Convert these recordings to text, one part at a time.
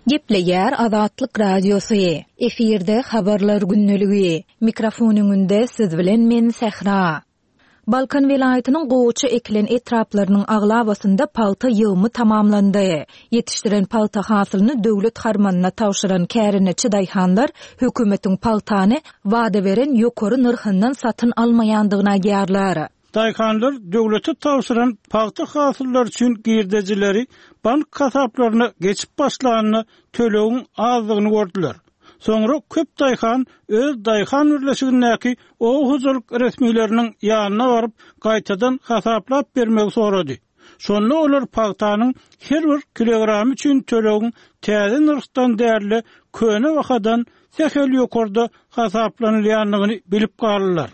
Gepleýär Azatlyk Radiosy, Efirde Habarlar gündeligi. Mikrofon öňünde siz bilen men Sähra. Balkan welaýatynyň gowaça ekilen etraplarynyň aglabasynda pagta ýygymy tamamlandy. Ýetişdiren pagta hasylyny döwlet harmanyna tabşyran kärendeçi daýhanlar hökümetiň pagtany wada beren ýokary nyrhyndan satyn almaýandygyny aýdýarlar. Daýhanlar döwlete tabşyran pagta hasyllary üçin girdejileri bank hasaplaryna geçip başlanda tölegiň azdygyny gördüler. Soňra köp daýhan öz daýhan birleşigindäki oba hojalyk resmileriniň ýanyna baryp, gaýtadan hasaplap bermegi sorady. Şonda olar pagtanyň her bir kilogramy üçin tölegiň täze nyrhdan däl-de, köne bahadan sähel ýokarda hasaplanylýandygyny bilip galdylar.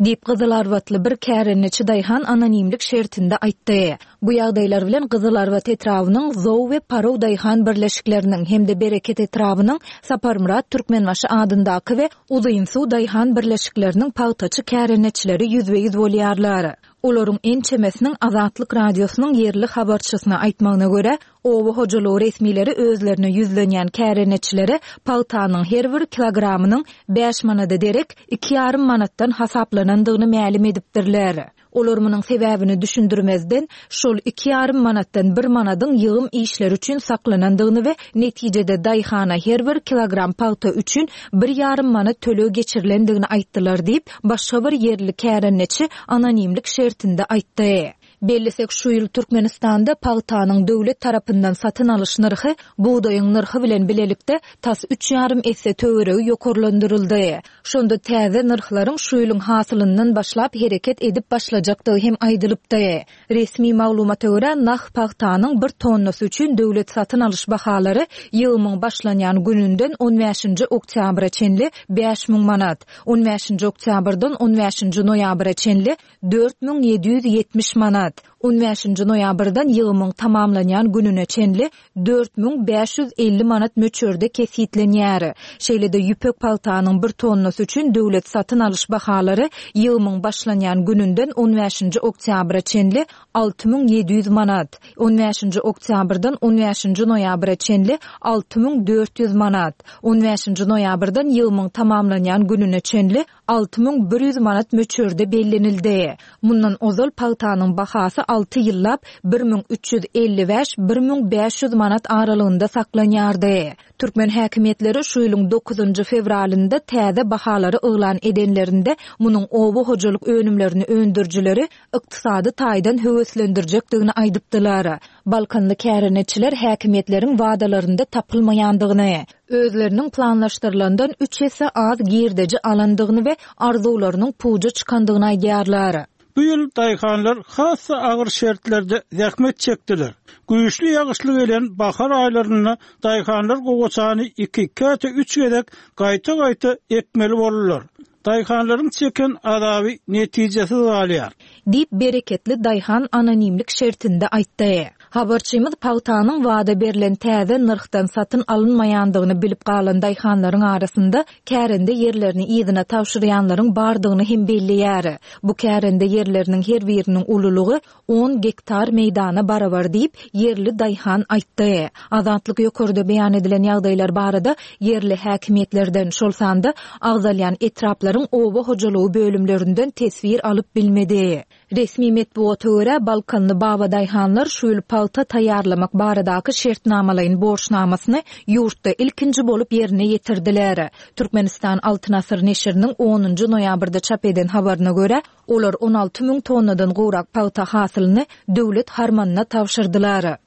Diýip, gyzylarbatly bir kärendeçi daýhan anonimlik şertinde aýtdy. Bu ýagdaýlar bilen Gyzylarbat etrabynyň Zow we Paraw daýhan birleşikleriniň hem-de Bereket etrabynyň Saparmyrat Türkmenbaşy adyndaky we Uzynsuw daýhan birleşikleriniň pagtaçy kärendeçileri ýüzbe-ýüz bolýarlar. Olaryň ençemesiniň Azatlyk Radiosynyň ýerli habarçysyna aýtmagyna görä, oba hojalygy resmileri özlerine ýüzlenýän kärendeçilere pagtanyň her bir kilogramynyň bäş manada derek iki ýarym manatdan hasaplanandygyny mälim edipdirler. Olar munuň sebäbini düşündirmezden, şol iki ýarym manatdan bir manadyň ýygym işleri üçin saklanandygyny we netijede daýhana her bir kilogram pagta üçin bir ýarym manat töleg geçirilendigini aýtdylar diýip, başga bir ýerli kärendeçi anonimlik şertinde aýtdy. Bellesek, şu ýyl Türkmenistanda pagtanyň döwlet tarapyndan satyn alyş nyrhy bugdaýyň nyrhy bilen bilelikde tas üç ýarym esse töweregi ýokarlandyryldy. Şonda täze nyrhlaryň şu ýylyň hasylyndan başlap hereket edip başlajakdygy hem aýdylypdy. Resmi maglumata görä, nah pagtanyň bir tonnasy üçin döwlet satyn alyş bahalary ýygymyň başlanýan gününden on bäşinji oktýabra çenli 5000 manat, on bäşinji oktýabrdan on bäşinji noýabra çenli 4770 manat, on bäşinji noýabrdan ýygymyň tamamlanýan gününe çenli 4550 manat möçberde kesgitlenýär. Şeýle-de ýüpek pagtanyň bir tonnasy üçin döwlet satyn alyş bahalary ýygymyň başlanýan gününden on bäşinji oktýabra çenli 6700 manat, on bäşinji oktýabrdan on bäşinji noýabra çenli 6400 manat, on bäşinji noýabrdan ýygymyň tamamlanýan gününe çenli 6100 manat möçberde bellenildi. Mundan ozal pagtanyň bahasy alty ýyllap 1355, 1500 manat aralygynda saklanýardy. Türkmen häkimiýetleri şu ýylyň dokuzynjy fewralynda täze bahalary yglan edenlerinde munuň oba hojalyk önümlerini öndürijileri ykdysady taýdan höweslendirjekdigini aýdypdylar. Balkanly kärendeçiler häkimiýetleriň wadalarynda tapylmaýandygyny, özleriniň planlaşdyrylandan üç esse az girdeji alandygyny we arzuwlarynyň puja çykandygyny aýdýarlar. Bu ýyl daýhanlar has-da agyr şertlerde zähmet çekdiler. Güýçli ýagyşly gelen bahar aýlarynda daýhanlar gowaçany iki, käte üç gezek gaýta-gaýta ekmeli boldular. Daýhanlaryň çeken azaby netijesiz galýar. Diýip, bereketli daýhan anonimlik şertinde aýtdy. Habarçymyz pagtanyň wada berlen täze nyrhdan satyn alynmaýandygyny bilip galan daýhanlaryň arasynda kärende ýerlerini yzyna tabşyrýanlaryň bardygyny hem belleýär. Bu kärende ýerleriniň her biriniň ululygy on gektar meýdana barabar diýip, ýerli daýhan aýtdy. Azatlyk ýokarda beýan edilen ýagdaýlar barada ýerli häkimiýetlerden, şol sanda agzalýan etraplaryň oba hojalygy bölümlerinden teswir alyp bilmedi. Resmi metbugata görä, balkanly babadaýhanlar şu ýyl pagta taýýarlamak baradaky şertnamalaýyn borçnamasyny ýurtda ilkinji bolup ýerine ýetirdiler. Türkmenistan Altyn asyr neşiriniň onunjy noýabrda çap eden habaryna görä, Olar 16 müň tonnadan gowrak pagta hasylyny döwlet harmanyna tabşyrdylar.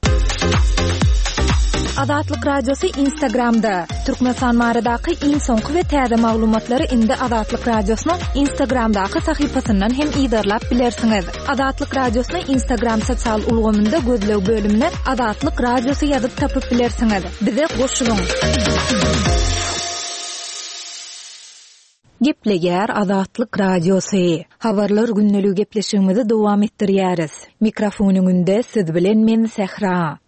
Azatlyk Radiosy Instagramda, Türkmenistan baradaky iň soňky we täze maglumatlary indi Azatlyk Radiosynyň Instagramdaky sahypasyndan hem yzarlap bilersiňiz. Azatlyk Radiosyny Instagram sosial ulgamynda gözleg bölümine Azatlyk Radiosy ýazyp tapyp bilersiňiz. Bize goşulyň! Gepleýär Azatlyk Radiosy. Habarlar gündeligi gepleşigimizi dowam etdirýäris. Mikrofon öňünde siz bilen men Sähra.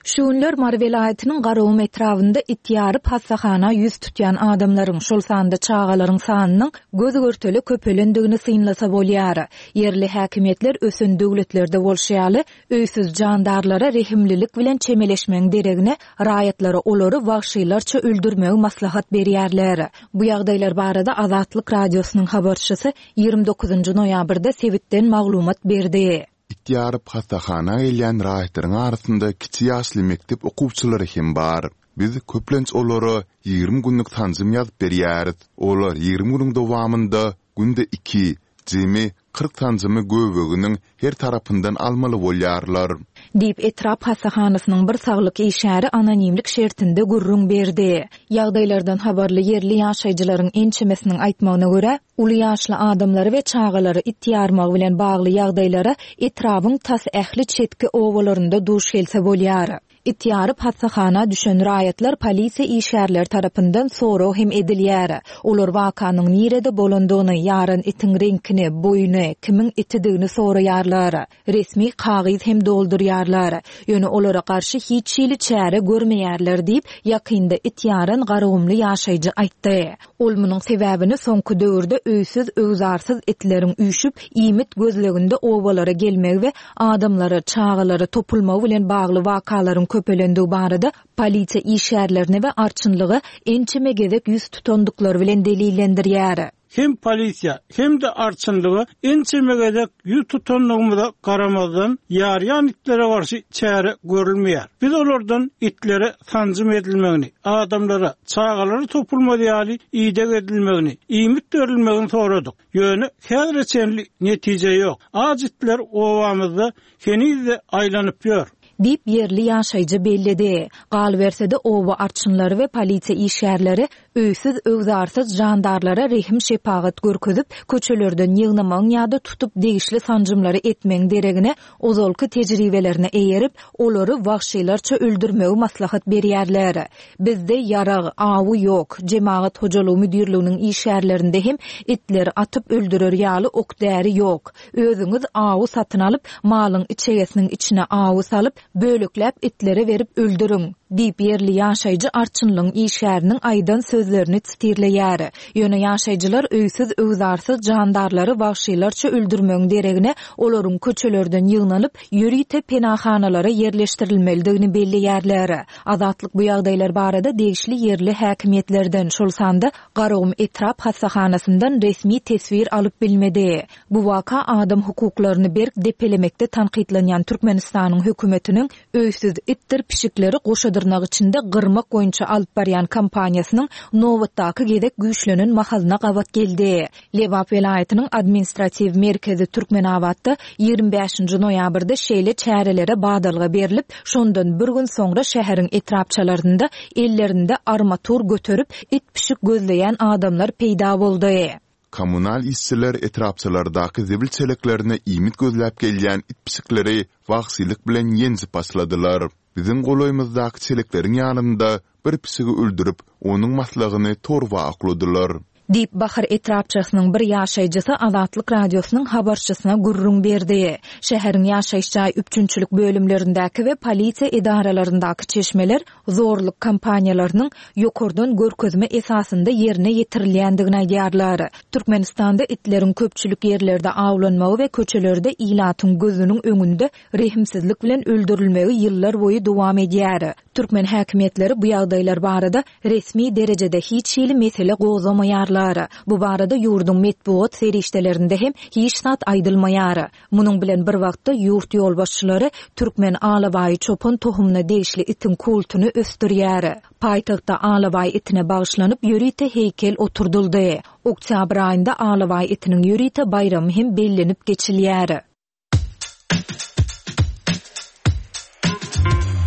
Şu günler Mary welaýatynyň Garagum etrabynda it ýaryp hassahana ýüz tutýan adamlaryň, şol sanda çagalaryň sanynyň göz-görtele köpelendigini synlasa bolýar. Ýerli häkimiýetler ösen döwletlerde bolşy ýaly, öýsüz jandarlara rehimlilik bilen çemeleşmegiň deregine, raýatlara olary wagşylarça öldürmegi maslahat berýärler. Bu ýagdaýlar barada Azatlyk Radiosynyň habarçysy 29 noýabrda sebitden maglumat berdi. It ýaryp hassahana gelýän raýatlaryň arasynda kiçi ýaşly mekdep okuwçylary hem bar. Biz köplenç olara 20 günlük sanjym ýazyp berýäris. Olar 20 günüň dowamynda günde iki, jemi 40 sanjymy göbeginiň her tarapyndan almaly bolýarlar. Diýip, etrap hassahanasynyň bir saglyk işgäri anonimlik şertinde gürrüň berdi. Ýagdaýlardan habarly ýerli ýaşaýjylaryň ençemesiniň aýtmagyna görä, Uly ýaşly adamlary we çagalary it ýarmagy bilen bagly ýagdaýlara etrabyň tas ähli çetki obalarynda duş gelse bolýar. It ýaryp hassahana düşen raýatlar polisiýa işgärleri tarapyndan sorag hem edilýär. Olar wakanyň nirede bolandygyny, ýaran itiň reňkini, boýuny, kimiň itidigini soraýarlar. Resmi kagyz hem doldurýarlar. Ýöne olara garşy hiç hili çäre görmeýärler diýip, ýakynda it ýaran garagumly ýaşaýjy aýtdy. Ol munuň sebäbini soňky döwürde öýsüz-öwzarsyz itleriň üýşüp, iýmit gözleginde obalara gelmegi we adamlara, çagalara topulmagy bilen bagly wakalaryň köpelendigi barada polisiýa işgärlerine we arçynlyga ençeme gezek ýüz tutandyklary bilen delillendirýär. Hem polisiýa, hem-de arçynlyga ençeme gezek ýüz tutandygymyza garamazdan, ýarýan itlere garşy çäre görülmeýär. Biz olardan itlere sanjym edilmegini, adamlara, çagalara topulmaz ýaly ideg edilmegini, iýmit berilmegini soradyk. Ýöne häzire çenli netije ýok. Aç itler obamyzda heniz-de aýlanyp ýör. Diýip, ýerli ýaşaýjy belledi. Galyberse-de, oba arçynlary we polisiýa işgärleri öýsüz-öwzarsyz jandarlara rehim-şepagat görkezip, köçelerden ýygnamagyň ýa-da tutup degişli sanjymlary etmegiň deregine, ozalky tejribelerine eýerip, olary wagşylarça öldürmegi maslahat berýärler. Bizde ýarag, awy ýok. Jemagat hojalygy müdirliginiň işgärlerinde hem itleri atyp öldürer ýaly ok-däri ýok. Özüňiz awy satyn alyp, malyň içegesiniň içine awy salyp, bölekläp itlere berip öldüriň! Diýip, ýerli ýaşaýjy arçynlygyň işgäriniň aýdan sözlerini sitirleýär. Ýöne ýaşaýjylar öýsüz-öwzarsyz jandarlary wagşylarça öldürmegiň deregine, olaryň köçelerden ýygnalyp, ýörite penahanalara ýerleşdirilmelidigini belleýärler. Azatlyk bu ýagdaýlar barada degişli ýerli häkimiýetlerden, şol sanda Garagum etrap hassahanasyndan resmi teswir alyp bilmedi. Bu waka adam hukuklaryny berk depelemekde tankytlanýan Türkmenistanyň hökümetiniň öýsüz itdir pişikleri goşa dyrnak içinde gyrmak boýunça alyp barýan kampaniýasynyň nobatdaky gezek güýçlenen mahalyna gabat geldi. Lebap welaýatynyň administratiw merkezi Türkmenabatda 25-nji noýabrda şeýle çärelere badalga berlip, şondan bir gün soňra şäheriň etrapçalarynda ellerinde armatur göterip, it-pişik gözleýän adamlar peýda boldy. Kommunal işçiler etrapçalardaky zibil çeleklerine iýmit gözläp gelýän it-pişikleri wagşylyk bilen ýenjip başladylar. Biziň golaýymyzdaky çelekleriň ýanynda bir pişigi öldürip, onuň maslygyny torba okladylar. Diýip, Bahar etrapçasynyň bir ýaşaýjysy Azatlyk Radiosynyň habarçysyna gürrüň berdi. Şäheriň ýaşaýyş jaý üpjünçilik bölümlerindäki we polisiýa edaralaryndaky çeşmeler zorluk kampaniýalarynyň ýokardan görkezme esasynda ýerine ýetirilýändigini aýdýarlar. Türkmenistanda itleriň köpçülik ýerlerde awlanmagy we köçelerde ilatyň gözüniň öňünde rehimsizlik bilen öldürilmegi ýyllar boýy dowam edýär. Türkmen häkimiýetleri bu ýagdaýlar barada resmi derejede hiç hili mesele gozgamaýarlar. Bu barada ýurduň metbugat serişdelerinde hem hiç zat aýdylmaýar. Munuň bilen bir wagtda ýurt ýolbaşçylary türkmen alabaýy çopan tohumyna degişli itiň kultuny ösdürýär. Paýtagtda alabaý itine bagyşlanyp ýörite heýkel oturdyldy. Oktýabr aýynda alabaý itiniň ýörite baýramy hem bellenip geçilýär.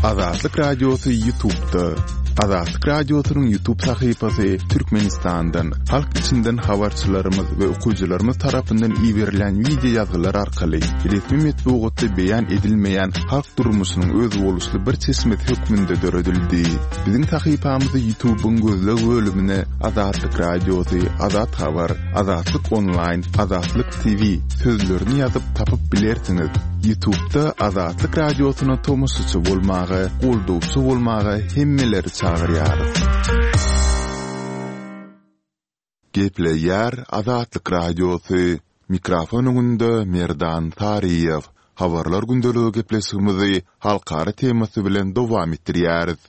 Azatlyk Radiosy Ýutubda. Azatlyk Radiosynyň Ýutub sahypasy Türkmenistandan, halk içinden habarçylarymyz we okyjylarymyz tarapyndan iberilen wideo ýazgylar arkaly resmi metbugatda beýan edilmeýän halk durmuşynyň özboluşly bir çeşmesi hökmünde döredildi. Biziň sahypamyzy Ýutubyň gözleg bölümine Azatlyk Radiosy, Azat Habar, Azatlyk Onlaýn, Azatlyk TV sözlerini ýazyp tapyp bilersiňiz. Ýutubda Azatlyk Radiosyna tomaşaçy bolmaga, goldawçy bolmaga hemmeleri çagyrýarys. Gepleýär Azatlyk Radiosy, Mikrofon öňünde Merdan Saryýew. Habarlar gündeligi gepleşigimizi halkara temasy bilen dowam etdirýäris.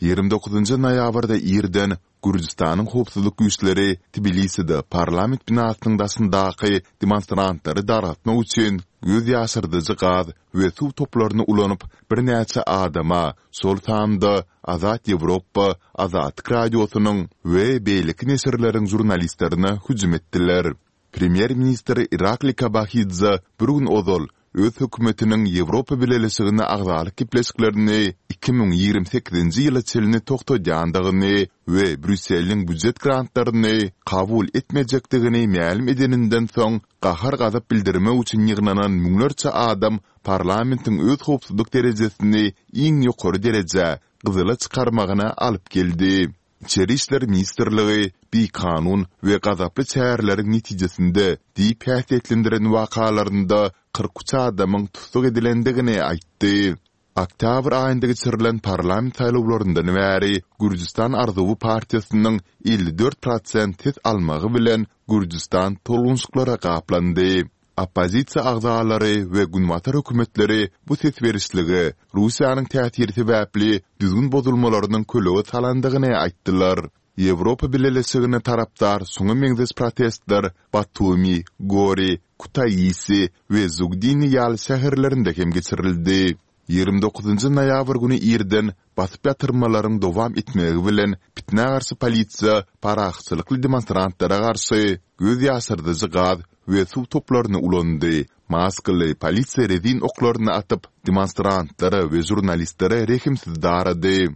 29 noýabrda irden Gürjüstanyň howpsuzlyk güýçleri Tbiliside parlament binasynyň daşyndaky demonstrantlary dargatmak üçin göz ýaşardyjy gaz we suw toplaryny ulanyp, birnäçe adama, şol sanda Azat Ýewropa, Azatlyk Radiosynyň we beýleki neşirleriň žurnalistlerine hüjüm etdiler. Premýer-ministr Irakli Kobahidze bir gün ozal öz hökümetiniň Ýewropa Bileleşigine agzalyk gepleşiklerini 2028-nji ýyla çenli togtadýandygyny we Brýusseliň býujet grantlaryny kabul etmejekdigini mälim edeninden soň gahar-gazap bildirmek üçin ýygnanan müňlerçe adam parlamentiň öz howpsuzlyk derejesini iň ýokary derejä, gyzyla çykarmagyna alyp geldi. Içeri işler ministrligi bikanun we gazaply çäreleriň netijesinde diýip häsiýetlendiren wakalarynda 43 adamyň tussag edilendigini aýtdy. Oktýabr aýynda geçirilen parlament saýlawlaryndan bäri Gürjüstan arzuwy partiýasynyň 54 prosent ses almagy bilen Gürjüstan tolgunşyklara gaplandy. Oppozisiýa agzalary we günbatar hökümetleri bu ses berişlige Russiýanyň täsiri sebäpli düzgün bozulmalarynyň kölege salandygyny aýtdylar. Ýewropa Bileleşigine tarapdar şuňa meňzeş protestler Batumi, Gori, Kutaisi we Zugdini ýaly şäherlerinde hem geçirildi. 29 noýabr güni irden basyp ýatyrmalaryň dowam etmegi bilen pitnä garşy polisiýa parahatçylykly demonstrantlara garşy göz ýaşardyjy gaz we suw toplaryny ulandy, maskaly polisiýa rezin oklaryny atyp, demonstrantlara we žurnalistlere rehimsiz darady.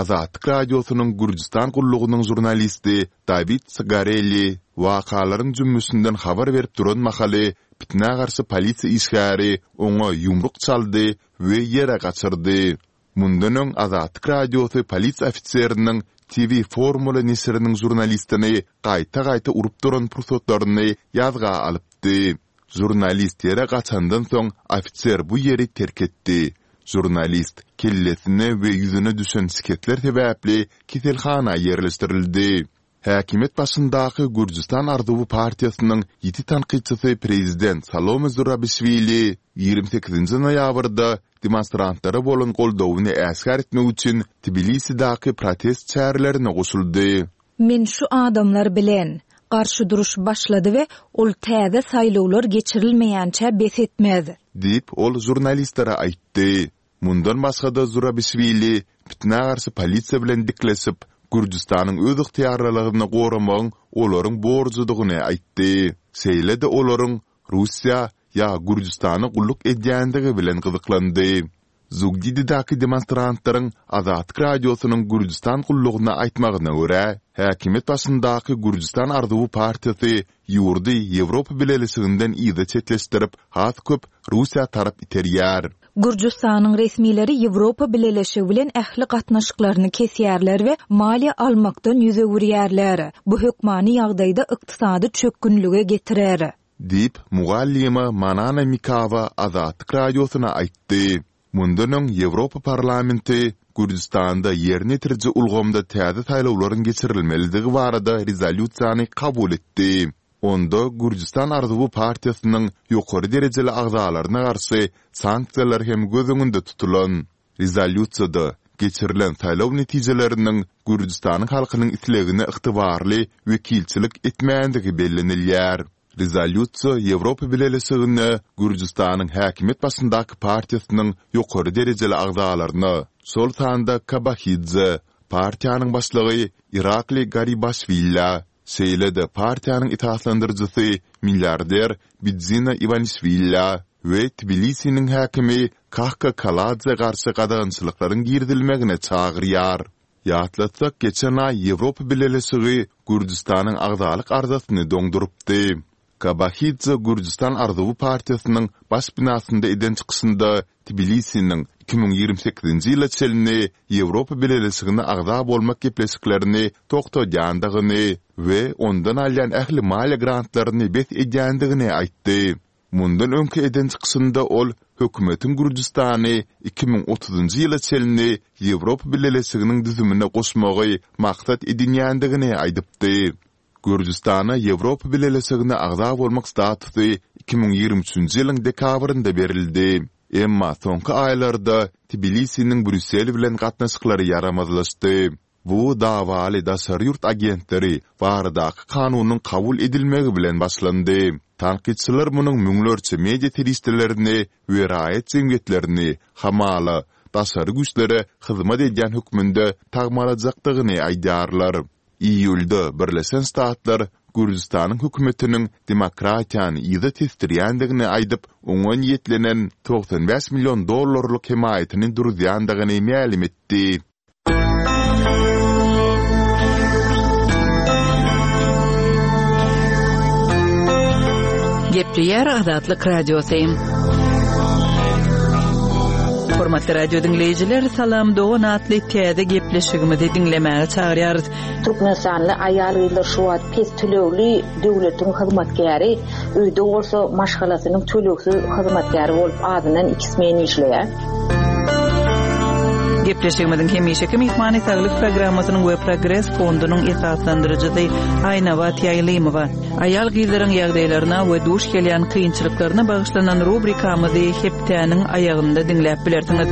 Azatlyk Radiosynyň Gürjüstan gullugynyň žurnalisti Dawid Sgareli wakalaryň jümmüşinden habar berip duran mahaly pitnä garşy polisiýa işgäri oňa ýumruk çaldy we ýere gaçyrdy. Mundan öň Azatlyk Radiosy polisiýa ofiseriniň TV Formula neşiriniň žurnalistini gaýta-gaýta urup duran pursatlaryny ýazga alypdy. Žurnalist ýere gaçandan soň ofiser bu ýeri terk etdi. Žurnalist kellesine we ýüzüne düşen şikesler sebäpli keselhana ýerleşdirildi. Häkimiýet başyndaky Gürjüstan arzuwy partiýasynyň ýiti tankytçysy prezident Salome Zurabişwili 28 noýabrda demonstrantlara bolan goldawyny äşgär etmek üçin Tbilisidäki protest çärelerine goşuldy. Men şu adamlar bilen. Garşy duruş başlady we ol täze saýlawlar geçirilmeýänçä bes etmez. Diýip, ol žurnalistlere aýtdy. Mundan başga-da Zurabişwili pitnä garşy polisiýa bilen dikleşip, Gürjüstanyň özygtyýarlylygyny goramagyň olaryň borjudygyny aýtdy. Şeýle-de olaryň Russiýa ýa Gürjüstana gulluk edýändigi bilen gyzyklandy. Zugdididäki demonstrantlaryň Azatlyk Radiosynyň Gürjüstan gullugyna aýtmagyna görä, häkimiýet başyndaky Gürjüstan arzuwy partiýasy ýurdy Ýewropa Bileleşiginden yza çetleşdirip, has köp Russiýa tarap iterýär. Gürjüstanyň resmileri Ýewropa Bileleşigi bilen ähli gatnaşyklaryny kesýärler we maliýe almakdan ýüz öwürýärler. Bu hökmany ýagdaýda ykdysady çökgünlige getirer. Diýip, mugallyma Manana Mikawa Azatlyk Radiosyna aýtdy. Mundan öň Ýewropa Parlamenti Gürjüstanda ýerine ýetiriji ulgamda täze saýlawlaryň geçirilmelidigi barada rezolýusiýany kabul etdi. Onda Gürjüstan arzuwy partiýasynyň ýokary derejeli agzalaryna garşy sanksiýalar hem göz öňünde tutulan. Rezolýusiýada geçirilen saýlaw netijeleriniň Gürjüstanyň halkynyň islegine ygtybarly wekilçilik etmändigi bellenilýär. Rezolýusiýa Ýewropa Bileleşigine Gürjüstanyň häkimiýet başyndaky partiýasynyň ýokary derejeli agzalaryna, şol sanda Kobahidze, partiýanyň başlygy Irakli Garibaşwillä, Şeýle-de partiýanyň esaslandyryjysy milliarder Bidzina Iwanişwillä we Tbilisiniň häkimi Kahka Kaladze garşy gadagançylyklaryň girizilmegine çagyrýar. Ýatlatsak, geçen aý Ýewropa Bileleşigi Gürjüstanyň agzalyk arzasyny doňdurypdy. Kobahidze Gürjüstan arzuwy partiýasynyň baş binasynda eden çykyşynda Tbilisiniň 2028-nji ýyla çenli Ýewropa Bileleşigine agza bolmak gepleşiklerini togtadýandygyny we ondan alýan ähli maliýe grantlaryny bes edýändigini aýtdy. Mundan öňki eden çykyşynda ol hökümetiň Gürjüstany 2030-njy ýyla çenli Ýewropa Bileleşiginiň düzümine goşmagy maksat edinýändigini aýdypdy. Gürjüstana Ýewropa Bileleşigine agza bolmak statusy 2023-nji ýylyň dekabrynda berildi. Emma soňky aýlarda Tbilisiniň Brýussel bilen gatnaşyklary ýaramazlaşdy. Bu dawaly daşary ýurt agentleri baradaky kanunyň kabul edilmegi bilen başlandy. Tankytçylar munuň müňlerçe media serişdelerini we raýat jemgyýetlerini, hamala, daşary güýçlere hyzmat edýän hökmünde tagmalajakdygyny aýdýarlar. Iýulda Birleşen Ştatlar Gürjüstanyň hökümetiniň demokratiýany yza tesdirýändigini aýdyp, oňa niýetlenen 95 million dollarlyk hemaýatyny duruzýandygyny mälim etdi. Gepleýär Azatlyk Radiosy. Hormatly radio diňleýjiler, Salam dogan atly täze gepleşigimizi diňlemäge çagyrýarys. Türkmenistanly aýal-gyzlar şu wagt pes tölegli döwletiň hyzmatkäri, öýde bolsa maşgalasynyň tölegsiz hyzmatkäri bolup azyndan iki smen işleýär. Gepleşigimiziň hemişeki myhmany Saglyk programmasynyň we Progres fondunyň esaslandyryjysy Aýnabat Ýaýlymowa. Aýal-gyzlaryň ýagdaýlaryna we duş gelýän kynçylyklaryna bagyşlanan rubrikamyzy hepdäniň aýagynda diňläp bilersiňiz.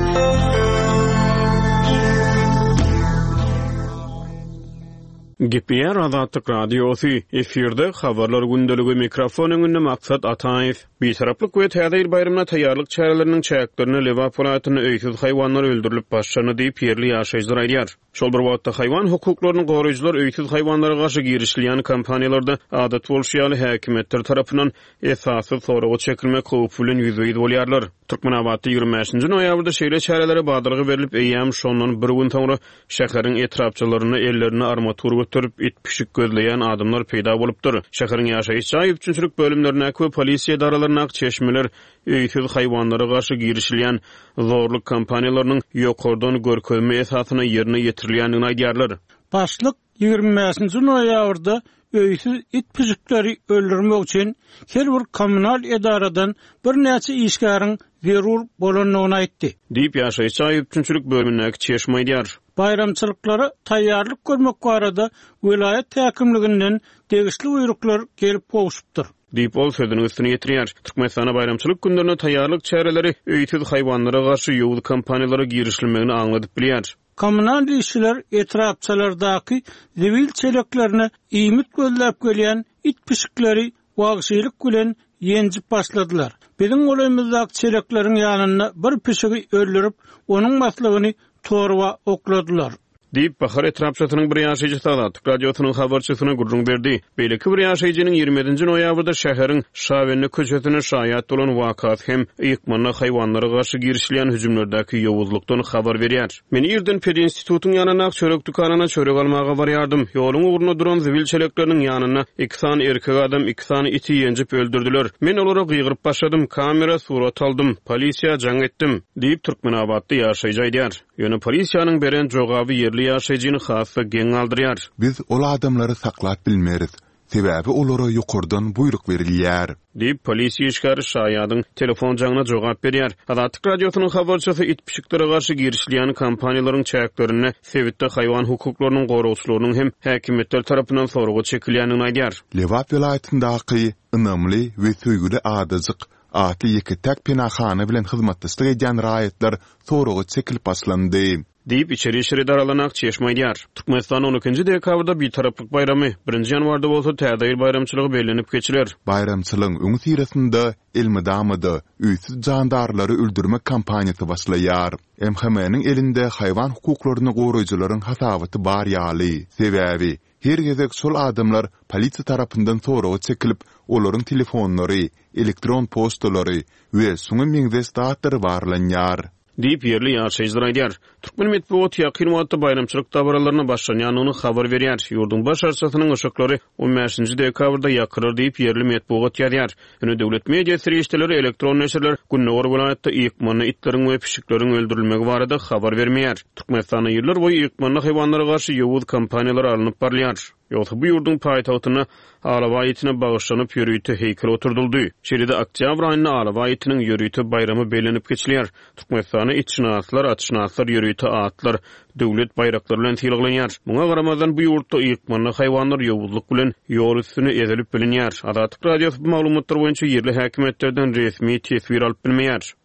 Gepleýär Azatlyk Radiosy, efirde Habarlar gündeligi, mikrofon öňünde Maksat Ataýew. Bitaraplyk we Täze ýyl baýramyna taýýarlyk çäreleriniň çäklerinde Lebap welaýatynda öýsüz haýwanlar öldürilip başlandy diýip, ýerli ýaşaýjylar aýdýar. Şol bir wagtda, haýwan hukuklaryny goraýjylar öýsüz haýwanlara garşy girişilýän kampaniýalarda, adat bolşy ýaly, häkimiýetler tarapyndan esassyz soraga çekilmek howpy bilen ýüzbe-ýüz bolýarlar. Türkmenabatda 25 nji noýabrda şeýle çärelere badalga berlip, eýýäm şondan bir gün soňra şäheriň etrapçalarynda ellerinde armatur göterip, it-pişik gözleýän adamlar peýda bolupdyr. Şäheriň ýaşaýyş jaý üpjünçilik bölümlerindäki we polisiýa edaralaryndaky çeşmeler öýsüz haýwanlara garşy girişilýän zorluk kampaniýalarynyň ýokardan görkezme esasynda ýerine ýetirilýändigini aýdýarlar. Başlyk 25-nji noýabrda öýsüz it-pişikleri öldürmek üçin her bir kommunal edaradan birnäçe işgäriň zerur bolandygyny aýtdy. Diýip, ýaşaýyş jaý üpjünçilik bölümindäki çeşme aýdýar. Baýramçylyklara taýýarlyk görmek barada welaýat häkimliginden degişli buýruklar gelip gowşupdyr. Diýip, ol sözüniň üstüni ýetirýär. Türkmenistanda baýramçylyk günlerine taýýarlyk çäreleri öýsüz haýwanlara garşy ýowuz kampaniýalara girişilmegini aňladyp bilýär. Kommunal işçiler etrapçalardaky zibil çeleklerine iýmit gözläp gelýän it-pişikleri wagşylyk bilen ýenjip başladylar. Biziň golaýymyzdaky çelekleriň ýanynda bir pişigi öldürip, onuň maslygyny torba okladylar. Diýip, Bahar etrapçasynyň bir ýaşaýjysy Azatlyk Radiosynyň habarçysyna gürrüň berdi. Beýleki bir ýaşaýjynyň 27-nji noýabrda şäheriň Şabende köçesinde şaýat bolan wakasy hem ykmanda haýwanlara garşy girişilýän hüjümlerdäki ýowuzlykdan habar berýär. Men irden pedinstitutyň ýanyndaky çörek dükanyna çörek almaga barýardym. Ýoluň ugrunda duran zibil çelekleriniň ýanynda iki sany erkek adam iki sany iti ýenjip öldürdiler. Men olara gygyryp başladym, kamera surat aldym, polisiýa jaň etdim. Diýip, türkmenabatly ýaşaýjy aýdýar. Ýöne polisiýanyň beren jogaby ýerli ýaşaýjyny has-da geň galdyrýar. Biz ol adamlary saklap bilmeris, sebäbi olara ýokardan buýruk berilýär. Diýip, polisiýa işgäri şaýadyň telefon jaňyna jogap berýär. Azatlyk Radiosynyň habarçysy it-pişiklere garşy girişilýän kampaniýalaryň çäklerinde sebitde haýwan hukuklarynyň goragçylarynyň hem häkimiýetler tarapyndan soraga çekilýändigini aýdýar. Lebap welaýatyndaky Ynamly we söýgüli adajyk atly ýeke-täk penahana bilen hyzmatdaşlyk edýän raýatlar soraga çekilip başlandy. Diýip, içeri işler edaralaryna ak çeşme aýdýar. Türkmenistanda on ikinji dekabrda Bitaraplyk baýramy, birinji ýanwarda bolsa Täze ýyl baýramçylygy bellenip geçiler. Baýramçylygyň öňüsyrasynda elmydama-da öýsüz jandarlary öldürmek kampaniýasy başlaýar. MHM-niň elinde haýwan hukuklaryny goraýjylaryň hasabaty bar ýaly. Sebäbi, Her gezek şol adamlar polisiýa tarapyndan soraga çekilip, olaryň telefonlary, elektron poçtalary we şuňa meňzeş zatlary barlanýar. Diýip, ýerli ýaşaýjylar aýdýar. Türkmen metbugaty ýakyn wagtda baýramçylyk dabaralaryna başlanýandygyny habar berýär. Ýurduň baş arçasynyň yşyklary on bäşinji dekabrda ýakylar diýip, ýerli metbugat ýazýar. Ýöne döwlet media serişdeleri, elektron neşirler gündogar welaýatda ykmanda itleriň we pişikleriň öldürilmegi barada habar bermeýär. Türkmenistanda ýyllar boýy ykmanda haýwanlara garşy ýowuz kampaniýalar alnyp barylýar. Ýogsa bu ýurduň paýtagtynda alabaý itine bagyşlanyp ýörite heýkel oturdyldy. Şeýle-de oktýabr aýynda alabaý itiniň ýörite baýramy bellenip geçilýär. Türkmenistanda itşynaslar, atşynaslar ýörite atlar, döwlet baýraklary bilen sylaglanýar. Muňa garamazdan, bu ýurtda ykmanly haýwanlar ýowuzlyk bilen ýol üstünde ezilip bilinýär. Azatlyk Radiosy bu maglumatlar boýunça ýerli häkimiýetlerden resmi teswir alyp bilmeýär.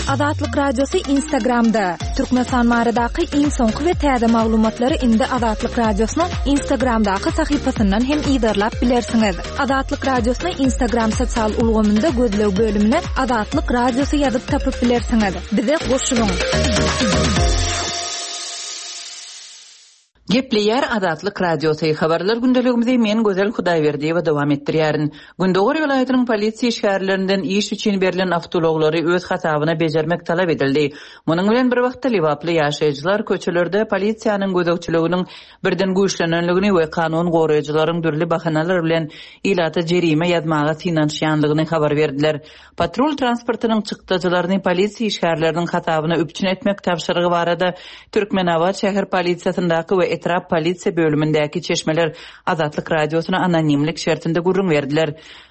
Azatlyk Radiosy Instagramda, Türkmenistan baradaky iň soňky we täze maglumatlary indi Azatlyk Radiosynyň Instagramdaky sahypasyndan hem yzarlap bilersiňiz. Azatlyk Radiosyny Instagram sosial ulgamynda gözleg bölümine Azatlyk Radiosy ýazyp tapyp bilersiňiz. Bize goşulyň! Gepleýär Azatlyk Radiosy, Habarlar gündeligimizi men Gözel Hudaýberdiýewa dowam etdirýärin. Gündogar welaýatynyň polisiýa işgärlerinden iş üçin berlen awtoulaglary öz hasabyna bejermek talap edildi. Munuň bilen bir wagtda lebaply ýaşaýjylar köçelerde polisiýanyň gözegçiliginiň birden güýçlenenligini we kanun goraýjylaryň dürli bahanalar bilen ilata jerime ýazmaga synanyşýanlygyny habar berdiler. Patrul transportynyň çykdajylaryny polisiýa işgärleriniň hasabyna üpjün etmek tabşyrygy barada Türkmenabat şäher polisiýasyndaky we etrap polisiýa bölümindäki çeşmeler Azatlyk Radiosyna anonimlik şertinde gürrüň berdiler.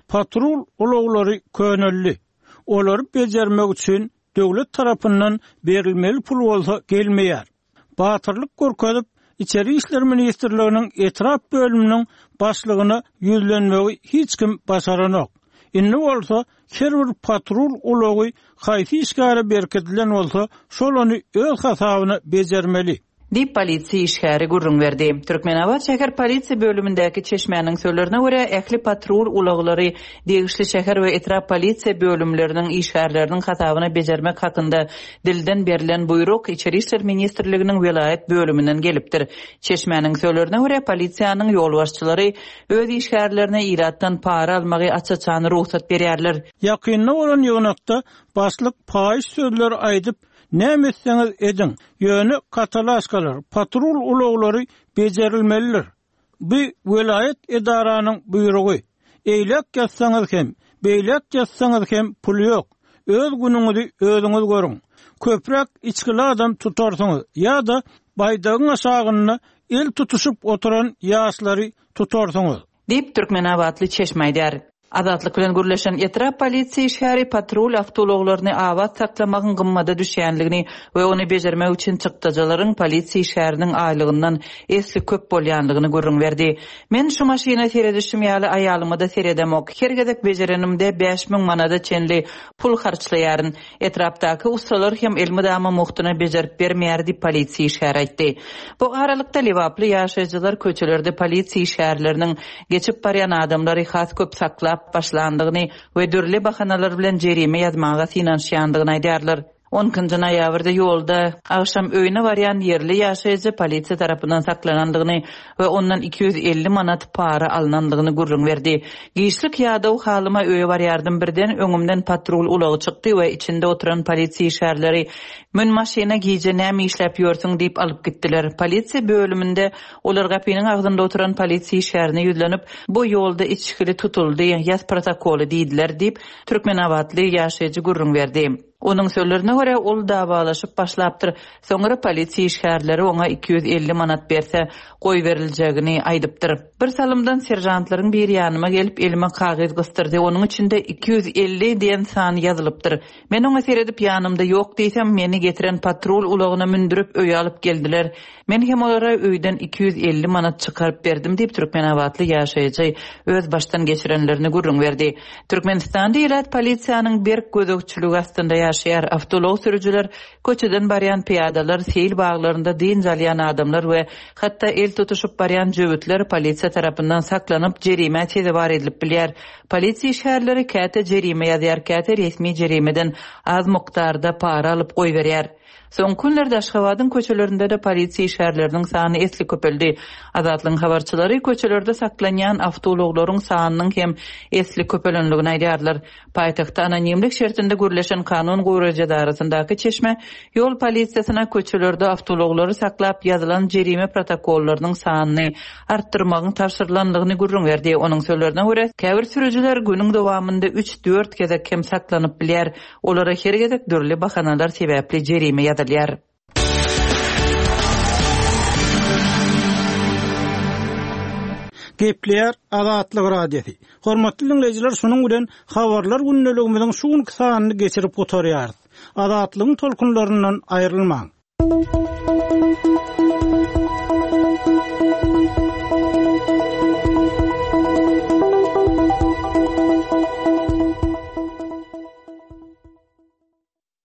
Patrul ulaglary köneldi. Olary bejermek üçin döwlet tarapyndan berilmeli pul bolsa gelmeýär. Batyrlyk görkezip, Içeri işler ministrliginiň etrap bölüminiň başlygyna ýüzlenmegi hiç kim başaranok. Indi bolsa her bir patrul ulagy haýsy işgäre berkidilen bolsa, şol ony öz hasabyna bejermeli. Diýip, polisiýa işgäri gürrüň berdi. Türkmenabat şäher polisiýa bölümindäki çeşmäniň sözlerine görä, ähli patrul ulaglary degişli şäher we etrap polisiýa bölümleriniň işgärleriniň hasabyna bejermek hakynda dilden berlen buýruk Içeri işler ministrliginiň welaýat bölüminden gelipdir. Çeşmäniň sözlerine görä, polisiýanyň ýolbaşçylary öz işgärlerine ilatdan para almagy aç-açan rugsat berýärler. Ýakynda bolan ýygnakda başlyk paýyş sözleri aýdyp, Näme etseňiz ediň, ýöne katalaşkalar, patrul ulaglary bejerilmelidir. Bu welaýat edaranyň buýrugy. Eýläk ýatsaňyz hem, beýläk ýatsaňyz hem pul ýok. Öz günüňizi özüňiz görüň. Köpräk içgili adam tutarsyňyz ýa-da baýdagyň aşagynda el tutuşyp oturan ýaşlary tutarsyňyz. Diýip, türkmenabatly çeşme aýdýar. Azatlyk bilen gürleşen etrap polisiýa işgäri patrul awtoulaglaryny abat saklamagyň gymmada düşýänligini we ony bejermek üçin çykdajylaryň polisiýa işgäriniň aýlygyndan esli köp bolýanlygyny gürrüň berdi. Men şu maşyna seredişim ýaly aýalyma-da seredemok. Her gezek bejerenimde 5000 manada çenli pul harçlaýaryn. Etrapdaky ussalar hem elmydama mugtuna bejerip bermeýär diýip, polisiýa işgäri aýtdy. Bu aralykda, lebaply ýaşaýjylar köçelerde polisiýa işgärleriniň geçip barýan adamlary has köp saklap başlandygyny we dürli bahanalar bilen jerime ýazmaga synanyşýandygyny aýdýarlar. On ikinji noýabrda ýolda agşam öýüne barýan ýerli ýaşaýjy polisiýa tarapyndan saklanandygyny we ondan 250 manat para alnandygyny gürrüň berdi. Giçlik ýadaw halyma öýe barýardym, birden öňümden patrul ulagy çykdy we içinde oturan polisiýa işgärleri Mün maşyna gije näme işläp ýörsüň diýip alyp gitdiler. Polisiýa bölüminde olar gapynyň agzynda oturan polisiýa işgärine ýüzlenip, Bu ýolda içgili tutuldy, ýaz protokoly diýdiler diýip, türkmenabatly ýaşaýjy gürrüň berdi. Onuň sözlerine görä, ol dawalaşyp başlapdyr. Soňra polisiýa işgärleri oňa 250 manat berse, goýberiljegini aýdypdyr. Bir salymdan seržantlaryň biri ýanyma gelip, elime kagyz gysdyrdy. Onuň içinde 250 diýen san ýazylypdyr. Men oňa seredip, ýanymda ýok diýsem, meni getiren patrul ulagyna mündürip, öýe alyp geldiler. Men hem olara öýden 250 manat çykaryp berdim diýip, türkmenabatly ýaşaýjy öz başdan geçirenlerini gürrüň berdi. Türkmenistanda ilat polisiýanyň berk gözegçiligi astynda ýaşaýar. Awtoulag sürüjiler, köçeden barýan pyýadalar, seýil baglarynda dynç alýan adamlar we hatda el tutuşyp barýan jöwütler polisiýa tarapyndan saklanyp, jerimä sezewar edilip bilýär. Polisiýa işgärleri käte jerime ýazýar, käte resmi jerimeden az mukdarda para alyp goýberýär. Soňky günlerde Aşgabadyň köçelerinde-de polisiýa işgärleriniň sany esli köpeldi. Azatlygyň habarçylary köçelerde saklanýan awtoulaglaryň sanynyň hem esli köpelendigini aýdýarlar. Paýtagtda anonimlik şertinde gürleşen kanun goraýjy edarasyndaky çeşme ýol polisiýasyna köçelerde awtoulaglary saklap ýazylan jerime protokollarynyň sanyny artdyrmagyň tabşyrylandygyny gürrüň berdi. Onuň sözlerine görä, käbir sürüjiler günüň dowamynda üç-dört gezek hem saklanyp bilýär. Olara her gezek dürli bahanalar sebäpli jerime ýazylýar. Gepleýär Azatlyk Radiosy. Hormatly diňleýjiler, şunuň bilen Habarlar gündeligimiziň şu günki sanyny geçirip gutarýarys. Azatlygyň tolkunlaryndan aýrylmaň.